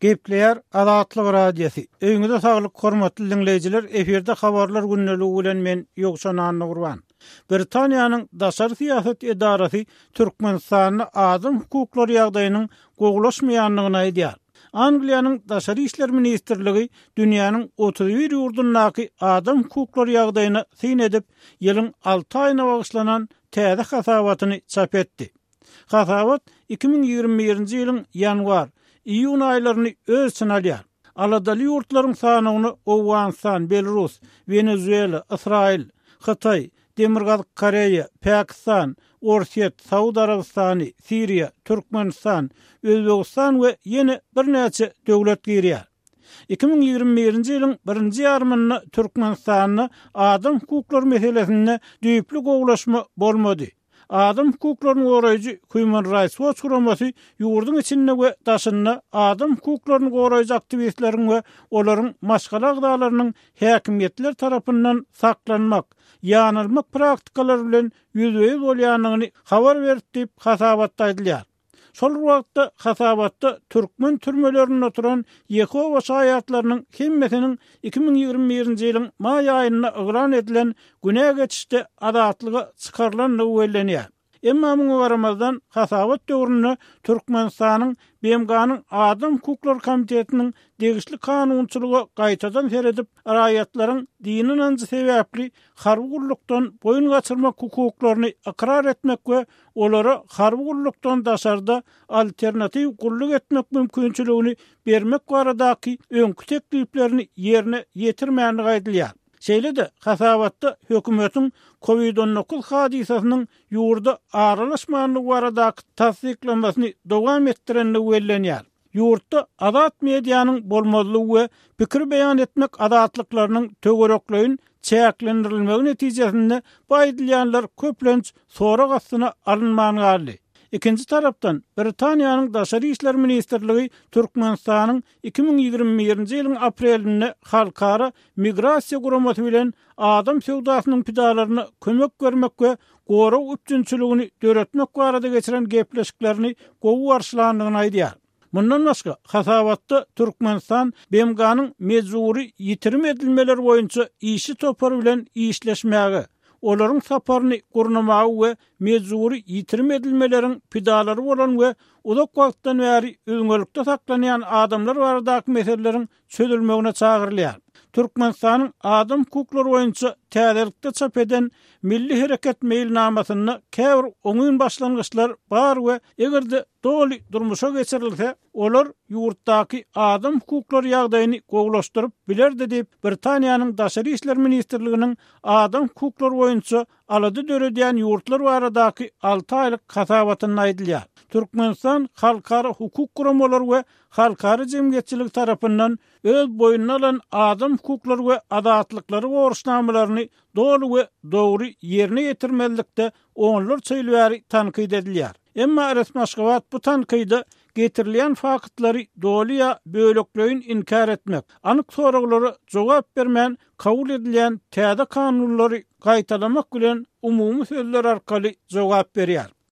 Gepleýär Azatlyk Radiosy. Öýüňize saglyk hormatly diňleýjiler, efirde habarlar gündeligi bilen men Ýowşan Annagurban. Britaniýanyň daşary syýasat edarasy Türkmenistanda adam hukuklary ýagdaýynyň gowulaşmaýandygyny aýdýar. Angliýanyň Daşary işler ministrligi dünýäniň 31 ýurdundaky adam hukuklary ýagdaýyna syn edip, ýylyň alty aýyna bagyşlanan täze hasabatyny çap etdi. Hasabat 2021-nji ýylyň ýanwar, iýun aýlaryny öz içine alýar. Aladaly ýurtlaryň sanawyna Owganystan, Belarus, Wenezuela, Ysraýyl, Hytaý, Demirgazyk Koreýa, Pakistan, Orsýet, Saud Arabystany, Siriýa, Türkmenistan, Özbegistan we ýene birnäçe döwlet girýär. 2021-nji ýylyň birinji ýarymynda Türkmenistanda adam hukuklary meselesinde düýpli gowulaşma bolmady. Adam hukuklaryny goraýjy Human Rights Watch guramasy ýurduň içinde we daşynda adam hukuklaryny goraýjy aktiwistleriň we olaryň maşgala agzalarynyň häkimiýetler tarapyndan saklanmak, ýanalmak praktikalary bilen ýüzbe-ýüz bolýandygyny habar berdi diýip, hasabatda aýdylýar. Şol bir wagtda, hasabatda türkmen türmelerinde oturan Ýehowa şaýatlarynyň hemmesiniň 2021-nji ýylyň maý aýynda yglan edilen günä geçişde azatlyga çykarylandygy bellenýär. Emma muňa garamazdan, hasabat döwründe Türkmenistanyň BMG-niň Adam hukuklary komitetiniň degişli kanunçylyga gaýtadan seredip, raýatlaryň dini ynanjy sebäpli harby gullukdan boýun gaçyrmak hukuklaryny ykrar etmek we olara harby gullukdan daşarda alternatiw gulluk etmek mümkinçiligini bermek baradaky öňki tekliplerini ýerine ýetirmändigi aýdylýar. Şeýle-de, hasabatda hökümetiň Covid 19 hadysasynyň ýurda aralaşmandygy baradaky tassyklamasyny dowam etdirendigi bellenýär. Ýurtda azat medianyň bolmazlygy we pikir beýan etmek azatlyklarynyň töwerekleýin çäklendirilmegi netijesinde bu aýdylýanlar köplenç sorag astyna alynman galdy. Ikinji tarapdan, Britaniýanyň Daşary işler ministrligi Türkmenistanyň 2021-nji ýylyň aprelinde Halkara migrasiýa guramasy bilen adam söwdasynyň pidalaryna kömek bermek we gorag üpjünçiligini döretmek barada geçiren gepleşiklerini gowy garşylandygyny aýdýar. Mundan başga, hasabatda Türkmenistan BMG-niň mejbury ýitirim edilmeler boýunça işçi topary bilen işleşmäge, olaryň saparyny gurnamaga we mejbury ýitirim edilmeleriň pidalary bolan we uzak wagtdan bäri üzňelikde saklanýan adamlar baradaky meseleleriň çözülmegine çagyrylýar. Türkmenistanyň adam hukuklary boýunça täzelikde çap eden Milli hereket meýilnamasynda käbir oňyn başlangyçlar bar we eger-de doly durmuşa geçirilse, olar ýurtdaky adam hukuklary ýagdaýyny gowulaşdyryp bilerdi diýip, Britaniýanyň Daşary işler ministrliginiň adam hukuklary boýunça alada döredýän ýurtlar baradaky alty aýlyk hasabatynda aýdylýar. Türkmenistan halkara hukuk guramalary we halkara jemgyýetçiligi tarapyndan öz boýnuna alan adam hukuklary we azatlyklary borçnamalaryny doly we dogry ýerine ýetirmezlikde onlarça ýyl bäri tankyt edilýär. Emma resmi Aşgabat bu tankyda getirilýän faktlary doly ýa bölekleýin inkär etmek, anyk soraglara jogap bermän kabul edilýän täze kanunlary gaýtalamak bilen umumy sözler arkaly jogap berýär.